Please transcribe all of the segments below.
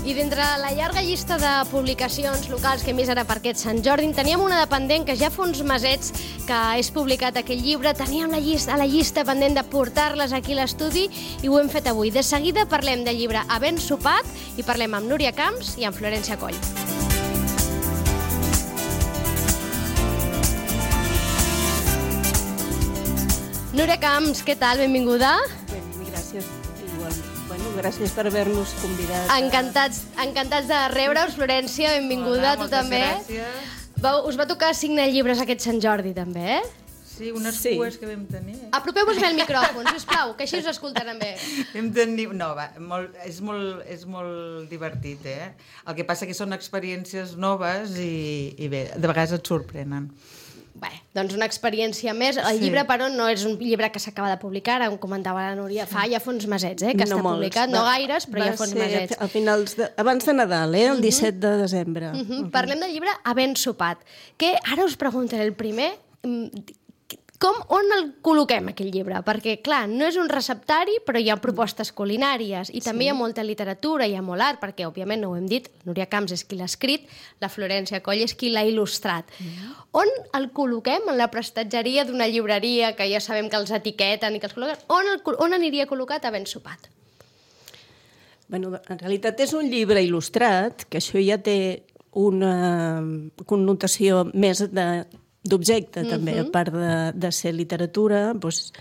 I d'entre la llarga llista de publicacions locals que hem vist ara per aquest Sant Jordi, teníem una de pendent que ja fa uns mesets que és publicat aquest llibre. Teníem la llista pendent de portar-les aquí a l'estudi i ho hem fet avui. De seguida parlem del llibre Havent sopat i parlem amb Núria Camps i amb Florència Coll. Núria Camps, què tal? Benvinguda. Gràcies. Gràcies per haver-nos convidat. Encantats de rebre-us, Florència, benvinguda. Hola, tu també. Gràcies. Us va tocar signar llibres aquest Sant Jordi, també, eh? Sí, unes cues que vam tenir. Apropeu-vos bé el micròfon, sisplau, que així us escoltaran bé. Vam tenir... No, va, és molt divertit, eh? El que passa que són experiències noves i bé, de vegades et sorprenen. Bé, doncs una experiència més. El llibre, però, no és un llibre que s'acaba de publicar, ara em comentava la Núria, fa ja uns mesets, que està publicat, no gaires, però ja fa uns mesets. A finals abans de Nadal, el 17 de desembre. Parlem del llibre Havent sopat, que ara us preguntaré el primer... On el col·loquem, aquell llibre? Perquè, clar, no és un receptari, però hi ha propostes culinàries i també hi ha molta literatura, hi ha molt art, perquè, òbviament, no ho hem dit, Núria Camps és qui l'ha escrit, la Florència Coll és qui l'ha il·lustrat. On el col·loquem? En la prestatgeria d'una llibreria, que ja sabem que els etiqueten i que els col·loquen. On aniria col·locat Havent sopat? Bueno, en realitat és un llibre il·lustrat, que això ja té una connotació més d'objecte, també, a part de ser literatura, doncs,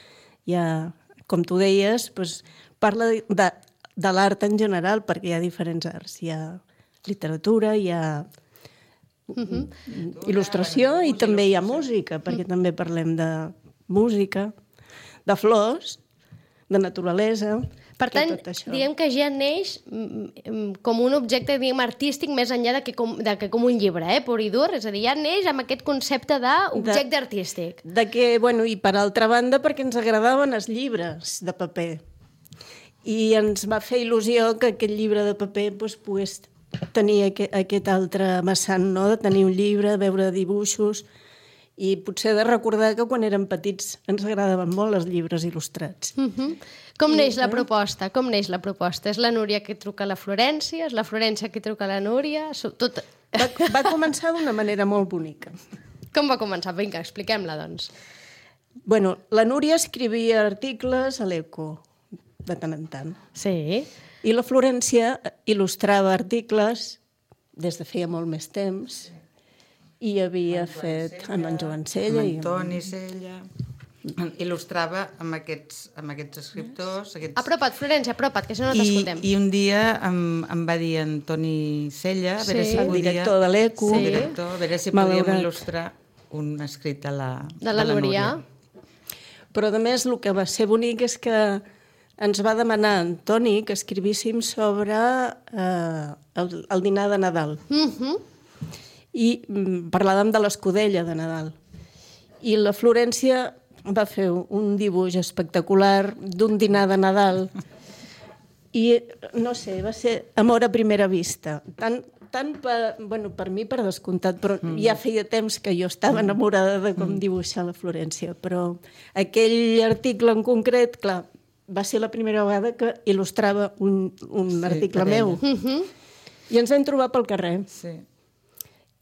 ja, com tu deies, doncs, parla de l'art en general, perquè hi ha diferents arts. Hi ha literatura, hi ha il·lustració i també hi ha música, perquè també parlem de música, de flors, de naturalesa... Per tant, diguem que ja neix com un objecte, diguem, artístic més enllà que com un llibre, pur i dur, és a dir, ja neix amb aquest concepte d'objecte artístic. I per altra banda, perquè ens agradaven els llibres de paper. I ens va fer il·lusió que aquest llibre de paper pogués tenir aquest altre vessant, no? De tenir un llibre, veure dibuixos i potser de recordar que quan érem petits ens agradaven molt els llibres il·lustrats. Com neix la proposta? És la Núria que truca a la Florència? És la Florència que truca a la Núria? Va començar d'una manera molt bonica. Com va començar? Vinga, expliquem-la, doncs. Bueno, la Núria escrivia articles a l'Eco, de tant en tant. Sí. I la Florència il·lustrava articles des de feia molt més temps i havia fet amb en Joan Sella. Amb Antoni Sella. Il·lustrava amb aquests escriptors. Apropa't, Florència, apropa't, que si no t'escoltem. I un dia em va dir Antoni Sella, a veure si podia... El director de l'Eco. A veure si podíem il·lustrar un escrit de la Núria. Però, a més, el que va ser bonic és que ens va demanar Antoni que escrivíssim sobre el dinar de Nadal. I parlàvem de l'escudella de Nadal. I la Florència va fer un dibuix espectacular d'un dinar de Nadal i, no sé, va ser amor a primera vista. Tant per mi, per descomptat, però ja feia temps que jo estava enamorada de com dibuixar la Florència, però aquell article en concret, clar, va ser la primera vegada que il·lustrava un article meu. I ens vam trobar pel carrer. Sí.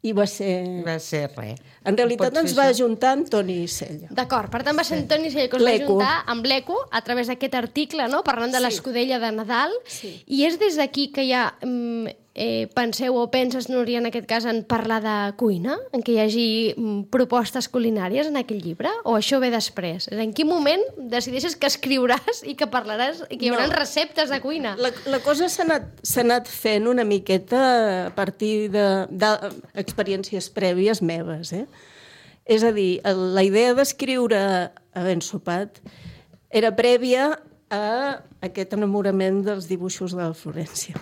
I va ser... Va ser res. En realitat ens va ajuntar Antoni Sella. D'acord, per tant va ser Antoni Sella que us va ajuntar amb l'Eco a través d'aquest article, no? Parlant de l'escudella de Nadal. I és des d'aquí que ja penseu o penses, Núria, en aquest cas, en parlar de cuina? En que hi hagi propostes culinàries en aquell llibre? O això ve després? En quin moment decideixes que escriuràs i que parlaràs i que hi haurà receptes de cuina? La cosa s'ha anat fent una miqueta a partir d'experiències prèvies meves, És a dir, la idea d'escriure Havent sopat era prèvia a aquest enamorament dels dibuixos de la Florència.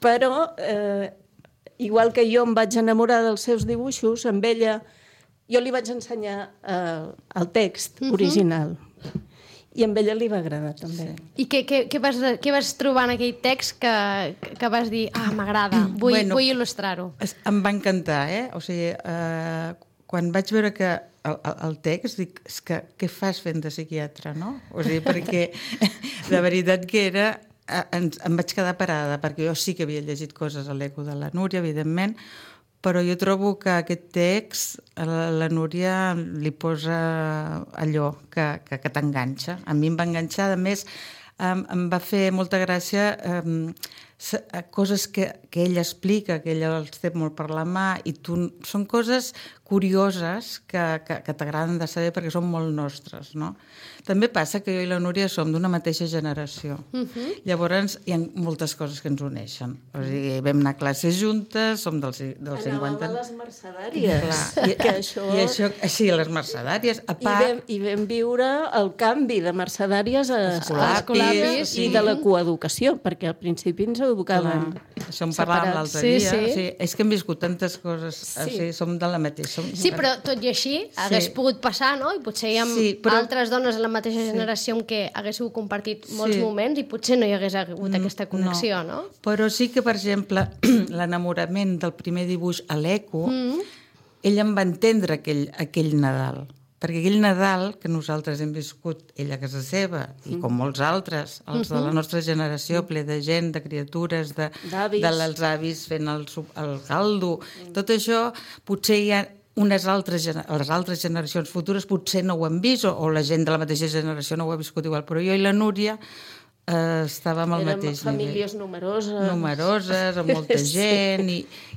Però, igual que jo em vaig enamorar dels seus dibuixos, amb ella jo li vaig ensenyar el text original. I amb ella li va agradar, també. I què vas trobar en aquell text que vas dir, m'agrada, vull il·lustrar-ho? Em va encantar, O sigui, quan vaig veure que el text, dic, és que què fas fent de psiquiatre, no? O sigui, perquè la veritat que era em vaig quedar parada, perquè jo sí que havia llegit coses a l'Eco de la Núria, evidentment, però jo trobo que aquest text la Núria li posa allò que t'enganxa. A mi em va enganxar, a més, em va fer molta gràcia coses que ella explica, que ella els té molt per la mà, i són coses curioses que t'agraden de saber perquè són molt nostres, no? També passa que jo i la Núria som d'una mateixa generació. Llavors, hi ha moltes coses que ens uneixen. O sigui, vam anar a classes juntes, som dels 50... Anàvem a les mercedàries. I això, sí, a les mercedàries. A part... I vam viure el canvi de mercedàries a escolapis i de la coeducació, perquè al principi ens educaven això en parlàvem l'altre dia. Sí. És que hem viscut tantes coses, som de la mateixa. Sí, però tot i així hagués pogut passar, no? I potser hi ha altres dones de la mateixa generació amb què haguéssiu compartit molts moments i potser no hi hagués hagut aquesta connexió, no? Però sí que, per exemple, l'enamorament del primer dibuix a l'Eco, ella em va entendre aquell Nadal. Perquè aquell Nadal que nosaltres hem viscut ella a casa seva, i com molts altres, els de la nostra generació, ple de gent, de criatures, dels avis fent el caldo, tot això, potser hi ha les altres generacions futures potser no ho han vist, o la gent de la mateixa generació no ho ha viscut igual, però jo i la Núria estàvem al mateix nivell. Famílies numeroses. Numeroses, amb molta gent,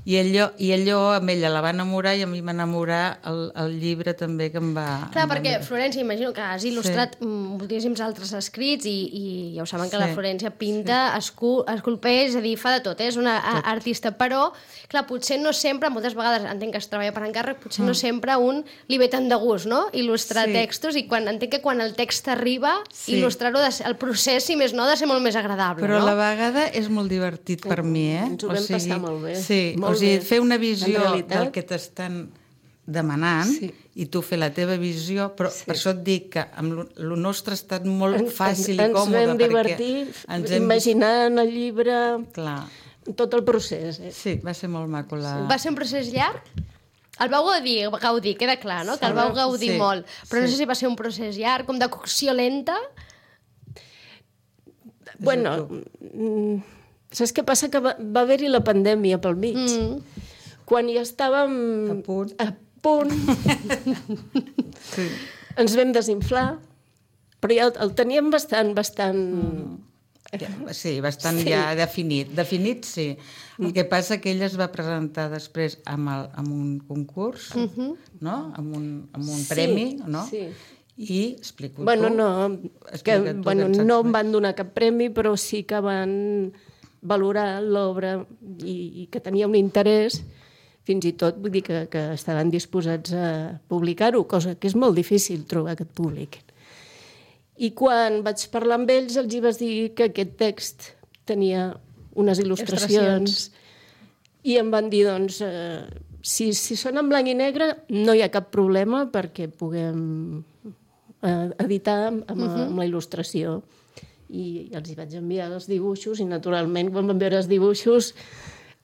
i allò amb ella la va enamorar i a mi m'enamorar el llibre també que em va... Clar, perquè Florència, imagino que has il·lustrat moltíssims altres escrits i ja ho saben que la Florència pinta, esculpeix, és a dir, fa de tot, és una artista, però, clar, potser no sempre, moltes vegades entenc que es treballa per encàrrec, potser no sempre li ve tant de gust, no?, il·lustrar textos, i entenc que quan el text arriba, il·lustrar-ho, el procés, si més no, ha de ser molt més agradable, però no? a la vegada és molt divertit per mi, Ens ho vam passar molt bé. Sí, o sigui, fer una visió del que t'estan demanant i tu fer la teva visió, però per això et dic que amb el nostre ha estat molt fàcil i còmode. Ens vam divertir imaginant el llibre, tot el procés. Sí, va ser molt maco. Va ser un procés llarg? El vau gaudir, queda clar, no? Que el vau gaudir molt, però no sé si va ser un procés llarg, com de cocció lenta. Bueno, saps què passa? Que va haver-hi la pandèmia pel mig. Quan ja estàvem a punt ens vam desinflar, però ja el teníem bastant... Sí, bastant ja definit. Definit, sí. El que passa que ella es va presentar després amb un concurs, no? Amb un premi, no? Sí. I explico tu. No em van donar cap premi, però sí que van valorar l'obra i que tenia un interès, fins i tot vull dir que estaven disposats a publicar-ho, cosa que és molt difícil trobar que et publiquin. I quan vaig parlar amb ells els hi vaig dir que aquest text tenia unes il·lustracions i em van dir, doncs, si són en blanc i negre no hi ha cap problema perquè puguem editar amb la il·lustració. I els hi vaig enviar els dibuixos i, naturalment, quan van veure els dibuixos,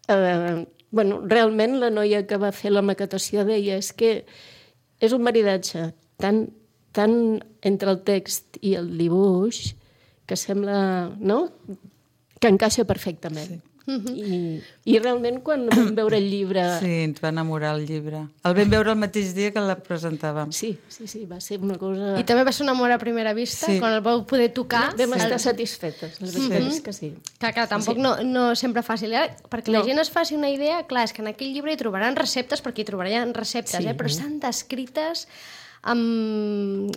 realment la noia que va fer la maquetació deia és que és un maridatge tan entre el text i el dibuix que sembla, no?, que encaixa perfectament. I realment quan vam veure el llibre... Sí, ens va enamorar el llibre. El vam veure el mateix dia que la presentàvem. Sí, va ser una cosa... I també va ser un amor a primera vista, quan el vau poder tocar. Vam estar satisfetes, la veritat és que sí. Clar, tampoc no sempre fàcil, perquè la gent es faci una idea, clar, és que en aquell llibre hi trobaran receptes, perquè hi trobaran receptes, però estan descrites amb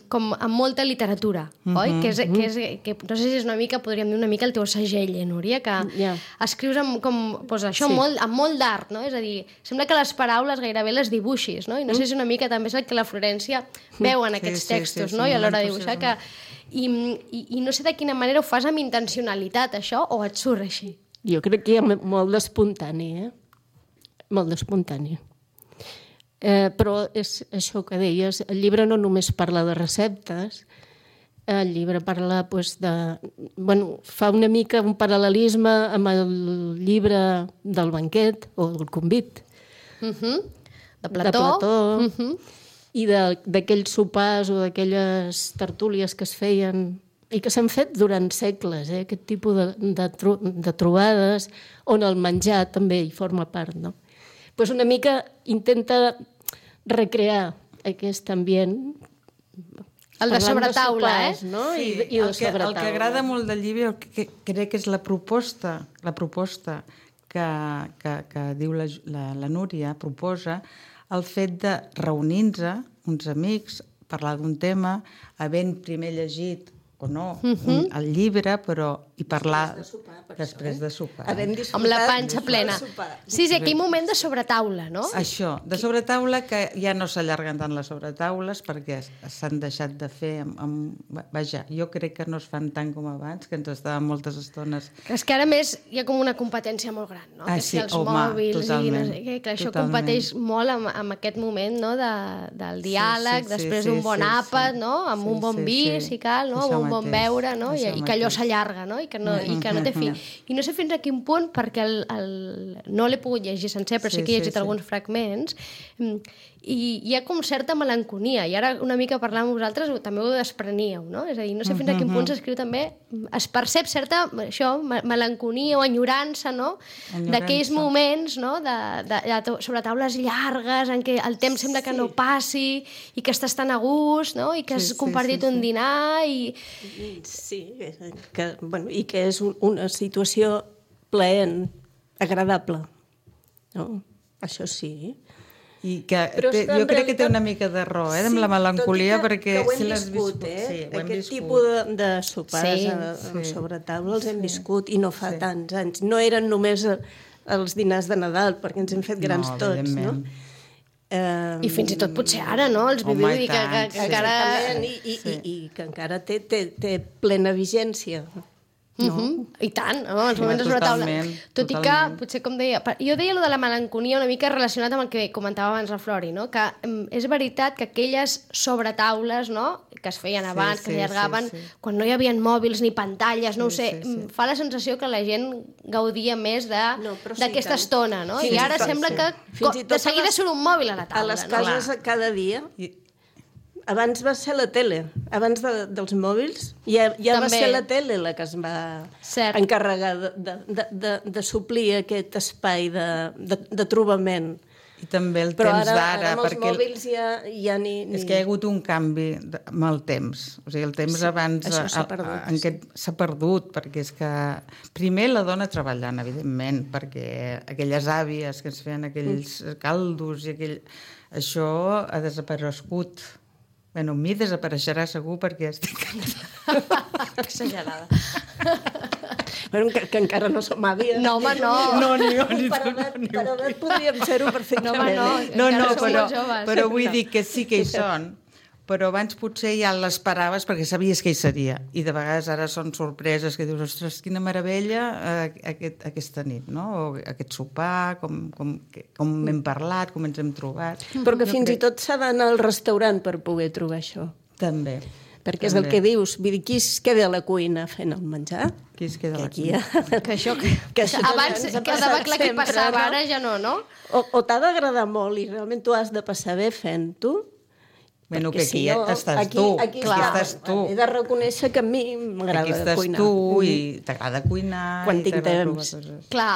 molta literatura, oi? Que no sé si és una mica, podríem dir una mica el teu segell, Núria, que escrius amb molt d'art, no? És a dir, sembla que les paraules gairebé les dibuixis, no? I no sé si una mica també és el que la Florència veu en aquests textos, no? I a l'hora de dibuixar que... I no sé de quina manera ho fas amb intencionalitat, això, o et surt així? Jo crec que hi ha molt d'espontani, molt d'espontani. Però és això que deies, el llibre no només parla de receptes, el llibre parla fa una mica un paral·lelisme amb el llibre del banquet o del convit de Plató. I d'aquells sopars o d'aquelles tertúlies que es feien i que s'han fet durant segles, aquest tipus de trobades on el menjar també hi forma part, no? Pues una mica intenta recrear aquest ambient el de sobretaula, sopars, no? Sí, I de sobretaula. El que agrada molt del llibre, crec que és la proposta que diu la Núria, proposa el fet de reunir-nos, uns amics, parlar d'un tema, havent primer llegit o no el llibre, però i parlar després de sopar. Amb la panxa plena. Sí, aquell moment de sobretaula, no? Això, de sobretaula, que ja no s'allarguen tant les sobretaules perquè s'han deixat de fer vaja, jo crec que no es fan tant com abans, que ens estàvem moltes estones. És que ara més hi ha com una competència molt gran, no? Que si els mòbils i no sé què, que això competeix molt amb aquest moment, no? Del diàleg, després d'un bon àpat, no? Amb un bon vi, si cal, no? Amb un bon beure, no? I que allò s'allarga, no? I que no té fi. I no sé fins a quin punt, perquè no l'he pogut llegir sencer, però sí que he llegit alguns fragments, i hi ha com certa melanconia, i ara una mica parlant amb vosaltres també ho despreníeu, no? És a dir, no sé fins a quin punt s'escriu també, es percep certa melanconia o enyorança, no? D'aquells moments, no? Sobre taules llargues en què el temps sembla que no passi i que estàs tan a gust, no? I que has compartit un dinar i... Sí, i que és una situació plaent, agradable, no? Això sí. I que jo crec que té una mica de raó, amb la melancolia, perquè... Que ho hem viscut, aquest tipus de sopars sobre taula els hem viscut, i no fa tants anys. No eren només els dinars de Nadal, perquè ens hem fet grans tots, no? I fins i tot potser ara, no? Els viviu i que encara... I que encara té plena vigència. I tant, els moments de sobretaula. Tot i que, potser com deia... Jo deia allò de la melanconia una mica relacionat amb el que comentava abans la Flori, no? Que és veritat que aquelles sobretaules, no? Que es feien abans, que s'allargaven, quan no hi havia mòbils ni pantalles, no ho sé, fa la sensació que la gent gaudia més d'aquesta estona, no? I ara sembla que de seguida surt un mòbil a la taula. A les cases cada dia... Abans va ser la tele, abans dels mòbils, ja va ser la tele la que es va encarregar de suplir aquest espai de trobament. I també el temps d'ara. Però ara amb els mòbils ja ni... És que hi ha hagut un canvi amb el temps. O sigui, el temps abans s'ha perdut, perquè és que primer la dona treballant, evidentment, perquè aquelles àvies que ens feien aquells caldos i això ha desaparegut. Bueno, a mi desapareixerà segur perquè estic exagerada. Bueno, que encara no som àvies. No, home, no. Per edat podríem ser-ho perfectament. Però vull dir que sí que hi són. Però abans potser ja l'esperaves perquè sabies que hi seria. I de vegades ara són sorpreses que dius, ostres, quina meravella aquesta nit, no? O aquest sopar, com hem parlat, com ens hem trobat. Però que fins i tot s'ha d'anar al restaurant per poder trobar això. També. Perquè és el que dius, vull dir, qui es queda a la cuina fent el menjar? Qui es queda a la cuina? Que això abans quedava clar que passava, ara ja no, no? O t'ha d'agradar molt i realment tu has de passar bé fent-ho. Bueno, que aquí estàs tu. Aquí estàs tu. He de reconèixer que a mi m'agrada cuinar. Aquí estàs tu i t'agrada cuinar. Quan tinc temps,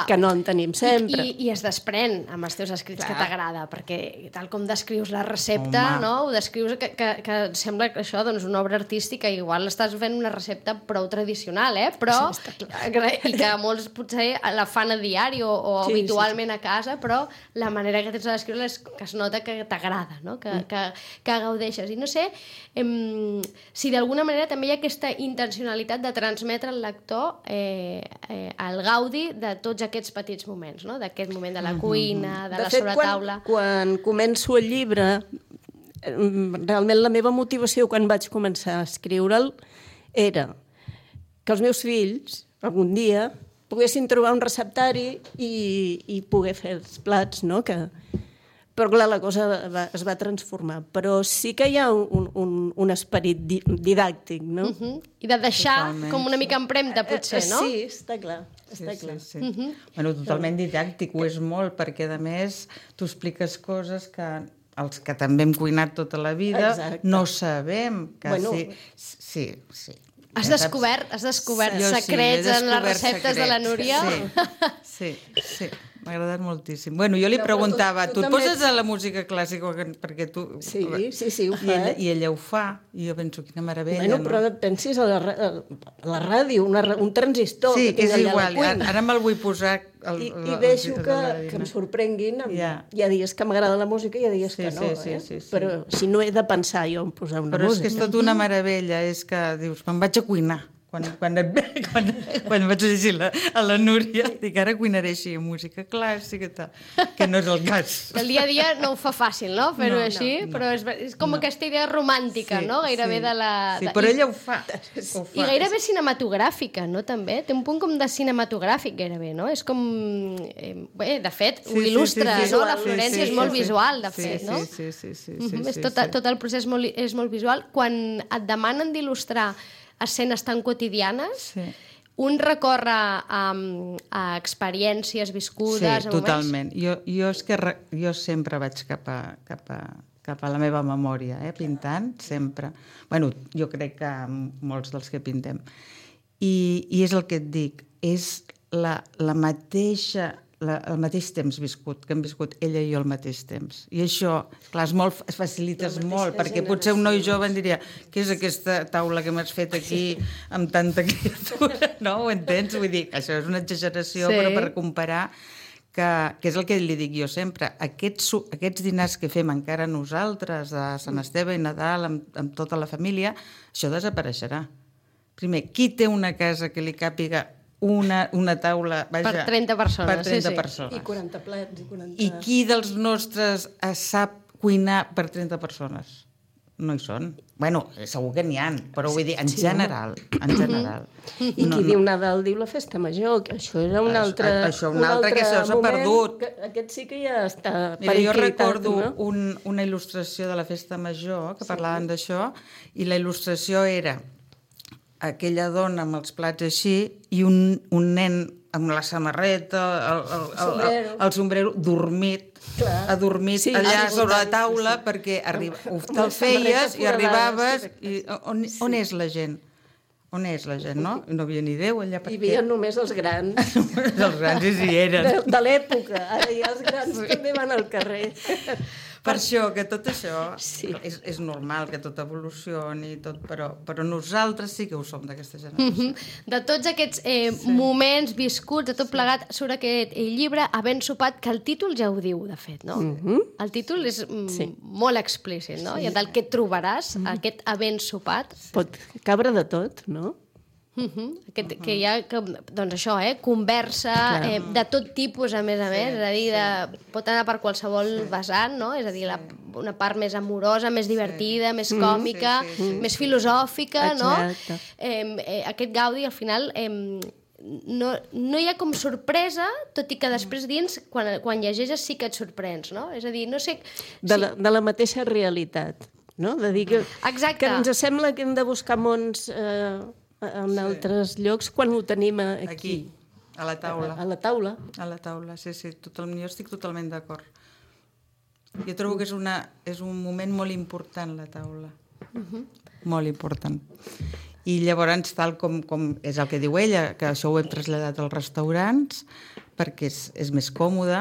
que no en tenim sempre. I es desprèn amb els teus escrits que t'agrada, perquè tal com descrius la recepta, no? Ho descrius que sembla que això, doncs, una obra artística, igual estàs fent una recepta prou tradicional, però i que molts potser la fan a diari o habitualment a casa, però la manera que tens de descriure és que es nota que t'agrada, no? Que gaudeixes. I no sé si d'alguna manera també hi ha aquesta intencionalitat de transmetre al lector el gaudi de tots aquests petits moments, no? D'aquest moment de la cuina, de la sobretaula. De fet, quan començo el llibre, realment la meva motivació quan vaig començar a escriure'l era que els meus fills, algun dia, poguessin trobar un receptari i poder fer els plats, no? Però clar, la cosa es va transformar. Però sí que hi ha un esperit didàctic, no? I de deixar com una mica empremta, potser, no? Sí, està clar. Bueno, totalment didàctic, ho és molt, perquè a més tu expliques coses que els que també hem cuinat tota la vida no sabem. Sí. Has descobert secrets en les receptes de la Núria? Sí. M'ha agradat moltíssim. Bueno, jo li preguntava, tu et poses a la música clàssica perquè tu... Sí, ho fa. I ella ho fa, i jo penso, quina meravella. Bueno, però et pensis a la ràdio, un transistor. Sí, és igual, ara me'l vull posar... I deixo que em sorprenguin. Hi ha dies que m'agrada la música i hi ha dies que no. Però si no he de pensar jo en posar una música. Però és que és tot una meravella, és que dius, me'n vaig a cuinar. Quan vaig llegir a la Núria, dic, ara cuinaré així, música clàssica i tal, que no és el cas. El dia a dia no ho fa fàcil, no?, fer-ho així, però és com aquesta idea romàntica, no?, gairebé de la... Sí, però ella ho fa. I gairebé cinematogràfica, no?, també. Té un punt com de cinematogràfic, gairebé, no? És com... Bé, de fet, ho il·lustra, no? La Florència és molt visual, de fet, no? Sí. Tot el procés és molt visual. Quan et demanen d'il·lustrar escenes tan quotidianes, un recorre a experiències viscudes... Sí, totalment. Jo sempre vaig cap a la meva memòria, pintant, sempre. Bueno, jo crec que molts dels que pintem. I és el que et dic, és el mateix temps viscut, que hem viscut ella i jo al mateix temps. I això, clar, es facilites molt, perquè potser un noi jove em diria, què és aquesta taula que m'has fet aquí amb tanta criatura? No, ho entens? Vull dir, això és una exageració, però per comparar, que és el que li dic jo sempre, aquests dinars que fem encara nosaltres, de Sant Esteve i Nadal, amb tota la família, això desapareixerà. Primer, qui té una casa que li càpiga una taula, vaja, per 30 persones. Per 30 persones. I 40 plats. I qui dels nostres sap cuinar per 30 persones? No hi són. Bueno, segur que n'hi ha, però vull dir, en general. I qui diu Nadal diu la festa major, que això era un altre que això s'ha perdut. Aquest sí que ja està periquilitat. Jo recordo una il·lustració de la festa major, que parlaven d'això, i la il·lustració era aquella dona amb els plats així i un nen amb la samarreta, el sombrero, adormit allà sobre la taula, perquè te'l feies i arribaves i on és la gent? On és la gent, no? No havia ni Déu allà. Hi havia només els grans. Els grans hi eren. De l'època. Ara ja els grans també van al carrer. Per això, que tot això és normal, que tot evolucioni, però nosaltres sí que ho som d'aquesta generació. De tots aquests moments viscuts, de tot plegat, surt aquest llibre, Havent sopat, que el títol ja ho diu, de fet, no? El títol és molt explícit, no? I del que et trobaràs, aquest havent sopat. Pot cabre de tot, no? Que hi ha, doncs això, conversa de tot tipus, a més, és a dir, pot anar per qualsevol vessant, no? És a dir, una part més amorosa, més divertida, més còmica, més filosòfica, no? Aquest Gaudi, al final, no hi ha com sorpresa, tot i que després dins, quan llegeixes, sí que et sorprens, no? És a dir, no sé... De la mateixa realitat, no? De dir que ens sembla que hem de buscar mons... en altres llocs, quan ho tenim aquí. A la taula. A la taula. A la taula, sí. Jo estic totalment d'acord. Jo trobo que és un moment molt important, la taula. Molt important. I llavors, tal com és el que diu ella, que això ho hem traslladat als restaurants, perquè és més còmode,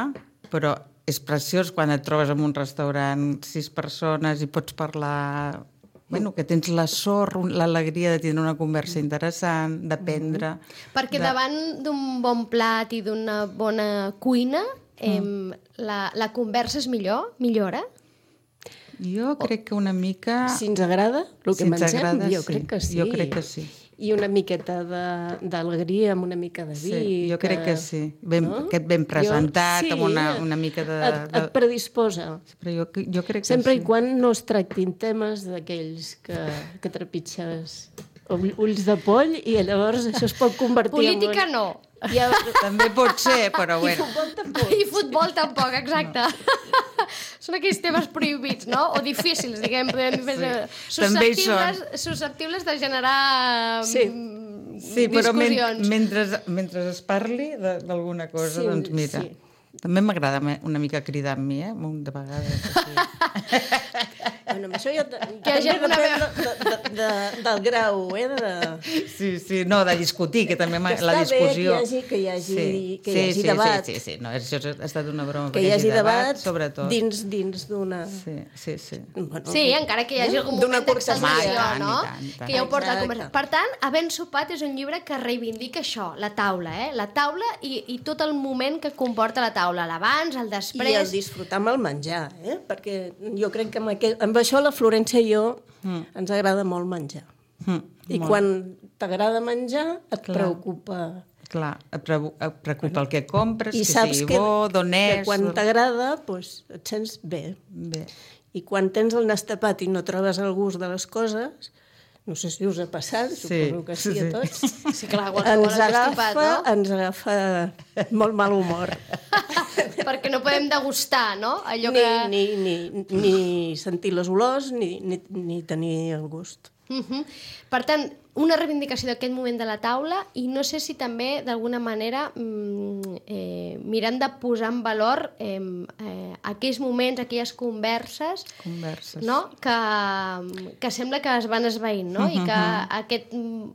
però és preciós quan et trobes en un restaurant 6 persones i pots parlar... Bueno, que tens la sort, l'alegria de tindre una conversa interessant, d'aprendre... Perquè davant d'un bon plat i d'una bona cuina, la conversa és millora? Jo crec que una mica... Si ens agrada el que mengem, jo crec que sí. Jo crec que sí. I una miqueta d'alegria amb una mica de vi. Sí, jo crec que sí. Aquest ben presentat, amb una mica de... Et predisposa. Però jo crec que sempre i quan no es tractin temes d'aquells que trepitges ulls de poll i llavors això es pot convertir política en... no. També pot ser, però bueno. I futbol tampoc, exacte. Són aquells temes prohibits, no? O difícils, diguem. Susceptibles de generar discussions. Però mentre es parli d'alguna cosa, doncs mira... També m'agrada una mica cridar amb mi, un de vegades. Bueno, això ja hi hagi també alguna depèn del grau, Sí, no, de discutir, que també que la discussió... que hi hagi debat. Sí, no, això ha estat una broma, que hi hagi debat sobretot. dins d'una... Sí. Bueno, Sí, encara que hi hagi algun moment d'exageració, no? I tant. Que ja ho porta a conversació. Per tant, Havent sopat és un llibre que reivindica això, la taula, La taula i tot el moment que comporta la taula, l'abans, el després... I el disfrutar amb el menjar, perquè jo crec que amb això la Florència i jo ens agrada molt menjar. I quan t'agrada menjar et preocupa... Clar, et preocupa el que compres, I que saps sigui bo, d'on és... que quan t'agrada et sents bé. I quan tens el nas tapat i no trobes el gust de les coses, no sé si us ha passat, suposo que sí a tots, Sí, clar, qualsevol ens agafa molt mal humor. Perquè no podem degustar, no? Allò que... Ni sentir les olors, ni tenir el gust. Per tant, una reivindicació d'aquest moment de la taula i no sé si també d'alguna manera mirant de posar en valor aquells moments, aquelles converses no? que sembla que es van esvaint, no? I que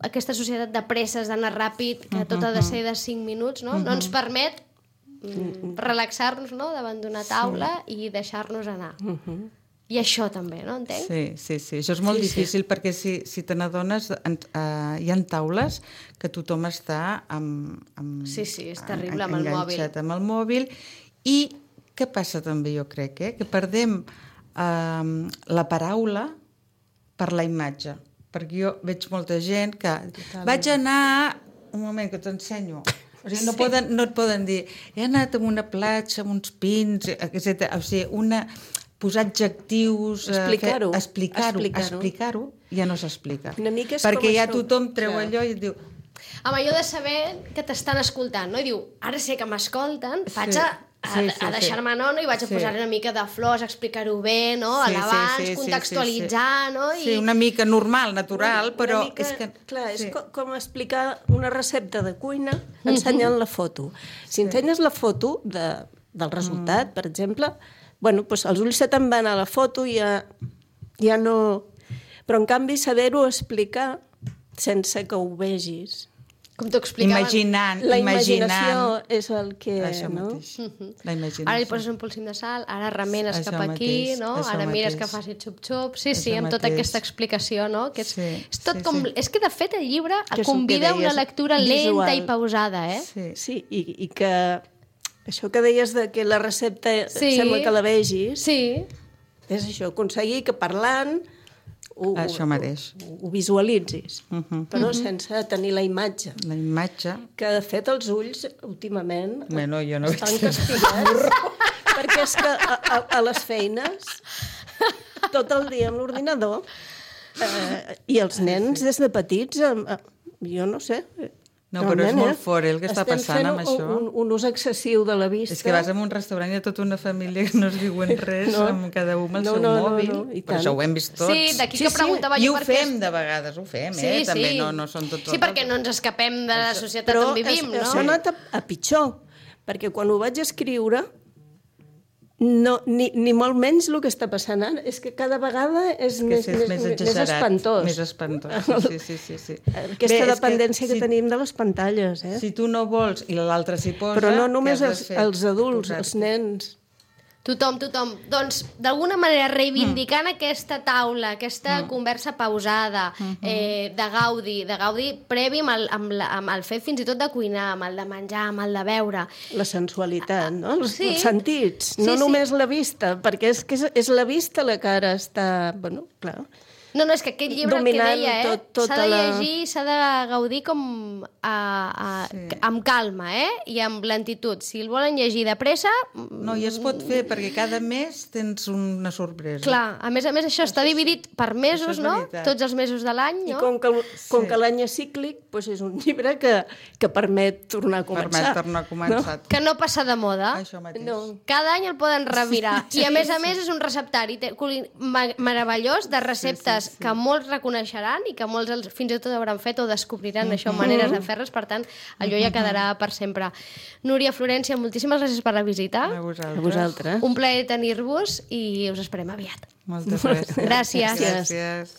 aquesta societat de presses, d'anar ràpid, que tot ha de ser de 5 minuts, no ens permet relaxar-nos, no? Davant d'una taula i deixar-nos anar. I això també, no? Entenc? Sí. Això és molt difícil perquè si te n'adones hi ha taules que tothom està Sí, és terrible amb el mòbil. Enganxat amb el mòbil. I què passa també, jo crec, que perdem la paraula per la imatge. Perquè jo veig molta gent que vaig anar... Un moment, que t'ensenyo. O sigui, no et poden dir he anat a una platja amb uns pins, etc. O sigui, posar adjectius, explicar-ho, ja no s'explica. Perquè ja tothom treu allò i et diu... Amb allò de saber que t'estan escoltant, no? I diu, ara sé que m'escolten, vaig a deixar-me anona i vaig a posar una mica de flors, explicar-ho bé, no? A l'abans, contextualitzar, no? Sí, una mica normal, natural, però... Clar, és com explicar una recepta de cuina ensenyant la foto. Si ensenyes la foto del resultat, per exemple... Bueno, doncs els ulls se te'n van a la foto i ja no... Però, en canvi, saber-ho explicar sense que ho vegis. Com t'ho explicaven. La imaginació és el que... Això mateix. La imaginació. Ara li poses un polsim de sal, ara remenes cap aquí, no? Ara mires que faci xup-xup. Sí, amb tota aquesta explicació, no? Que és tot com... És que, de fet, el llibre convida una lectura lenta i pausada, Sí, i que... Això que deies de que la recepta sembla que la vegis, és això, aconseguir que parlant ho visualitzis, però sense tenir la imatge. La imatge. Que, de fet, els ulls, últimament, jo no estan castigats, perquè és que a les feines, tot el dia amb l'ordinador, i els nens des de petits, jo no sé... No, però és molt fort, el que està passant amb això. Estem fent un ús excessiu de la vista. És que vas a un restaurant i hi ha tota una família que no es diuen res, amb cada un amb el seu mòbil. Però això ho hem vist tots. Sí, d'aquí que preguntava jo per què... I ho fem de vegades, també no són tots... Sí, perquè no ens escapem de la societat on vivim, no? Però això ha anat a pitjor, perquè quan ho vaig escriure, ni molt menys el que està passant ara. És que cada vegada és més espantós. Més espantós, sí. Aquesta dependència que tenim de les pantalles. Si tu no vols i l'altre s'hi posa... Però no només els adults, els nens... Tothom. Doncs, d'alguna manera, reivindicant aquesta taula, aquesta conversa pausada, de Gaudi previ amb el fet fins i tot de cuinar, amb el de menjar, amb el de beure. La sensualitat, no? Els sentits, no només la vista, perquè és la vista la que ara està... Bueno, clar... No, és que aquest llibre el que deia, s'ha de llegir, s'ha de gaudir com amb calma, i amb lentitud. Si el volen llegir de pressa... No, i es pot fer, perquè cada mes tens una sorpresa. Clar, a més això està dividit per mesos, no? Tots els mesos de l'any, no? I com que l'any és cíclic, és un llibre que permet tornar a començar. Que no passa de moda. Això mateix. Cada any el poden revirar. I a més és un receptari meravellós de receptes coses que molts reconeixeran i que molts fins i tot hauran fet o descobriran això, maneres de fer-les, per tant, allò ja quedarà per sempre. Núria, Florència, moltíssimes gràcies per la visita. A vosaltres. A vosaltres. Un plaer tenir-vos i us esperem aviat. Moltes gràcies. Gràcies. Gràcies.